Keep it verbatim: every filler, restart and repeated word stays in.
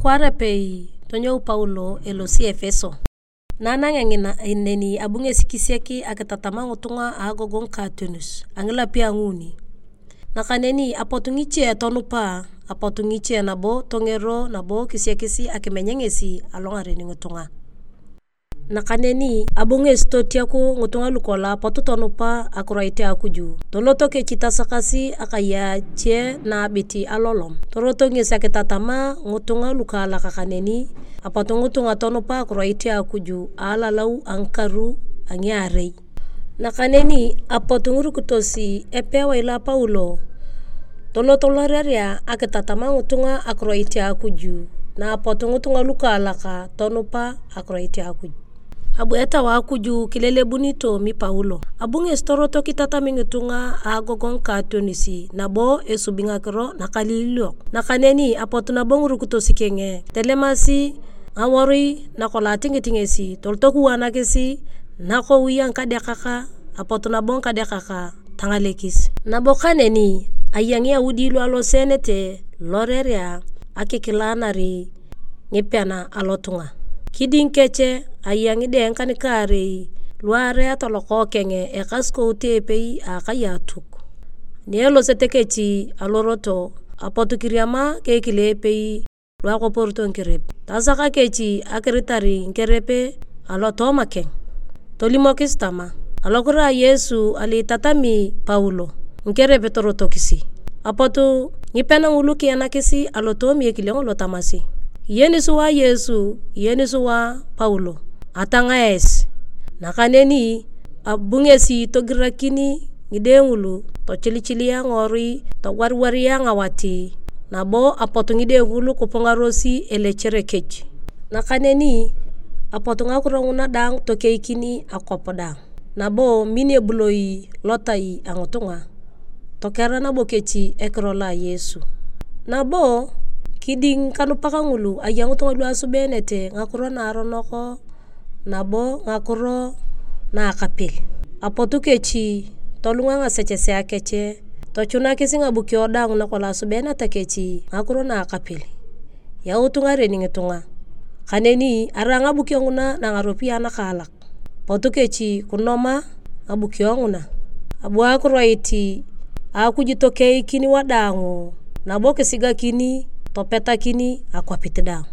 Kwaar apei, tonyou Paulo elosi Efeso. Na anangea ngina neni, abu ngesi kisiak akitatama ngitunga a agogongu ka Ationis a ngilapio a nguuni. Nakaneni apot ngiche tonupa, apot ngiche nabo tongero nabo kisiakis akimeny ngesi alongaren ngitunga. Nakaneni abu ngesi totiaku ngitunga lukolong apot tonupa akiroit a Akuju. Toloto kechi tasakasi akai a ache naabit alolom. Toroto ngesi akitatama ngitunga lukaalak kaneni, apot ngitunga tonupa akiroit a Akuju a alalau a ngikaru a ngiarei. Nakaneni apot ngirukitos epewae lo a Paulo, tolot lorerea akitatama ngitunga akiroit a Akuju, na apot ngitunga lukaalak tonupa akiroit a Akuj. Abu Etau a Akuju kilelebuni toomi Paulo. Abu ngesi toroto kitatami ngitunga a agogongu ka Ationis, nabo esubi ngakiro nakaliliok. Nakaneni apot nabo ngirukitos keng, telemasi ngaworui nakolong atingit ngesi, toloto kiwanakis nakowi a ngikadeakak, apot nabo ngikadeakak tangalekis. Nabo kaneni aya Ngiyaudi lu aloseenete lorerea akikilanar ngipean alotunga. Kiding kech aya ngide ngikan-kaarei luareat lokookeng ekasukout epei a akai a Atuk. Ni elosete kechi aloroto, apot kiriama keekile epei lu akoporito ngikerep. Tasaka kechi akiritar ngikerep alotooma keng. Tolimokis tama, "Alokiro a Yesu alo itatami Paulo, ngikerep torotokisi." Apot ngipean ngulu kianakis alotoomi ekile ngolo tamasi, "Iyeni sua Yesu, iyeni sua Paulo, atanga esi." Nakaneni abu ngesi togirakin ngide ngulu, tochilichilia ngiworui, togwariwaria ngawat, nabo apot ngide ngulu kipungaros elechere kech. Nakaneni apot ngakiro nguna daang tokeikin akwap daang, nabo min ebuloi lotai a ngitunga, tokera nabo kechi ekiro lo a Yesu. Nabo kiding kanupak ngulu aya ngitunga lu asubeenete ngakiro naaronok nabo ngakiro naakapel. Apot kechi tolunga ngasechesea kech, tochunakis ngabukio daang nakolong asubeeneta kechi ngakiro naakapel. Yaut ngaren ngitunga. Kaneni arai ngabukio nguna na ngaropiyae nakaalak, pot kechi kinoma ngabukio nguna. Abu akiroit a Akuj tokeikin wadaang, nabo kisigakin topetakin akwapit daang.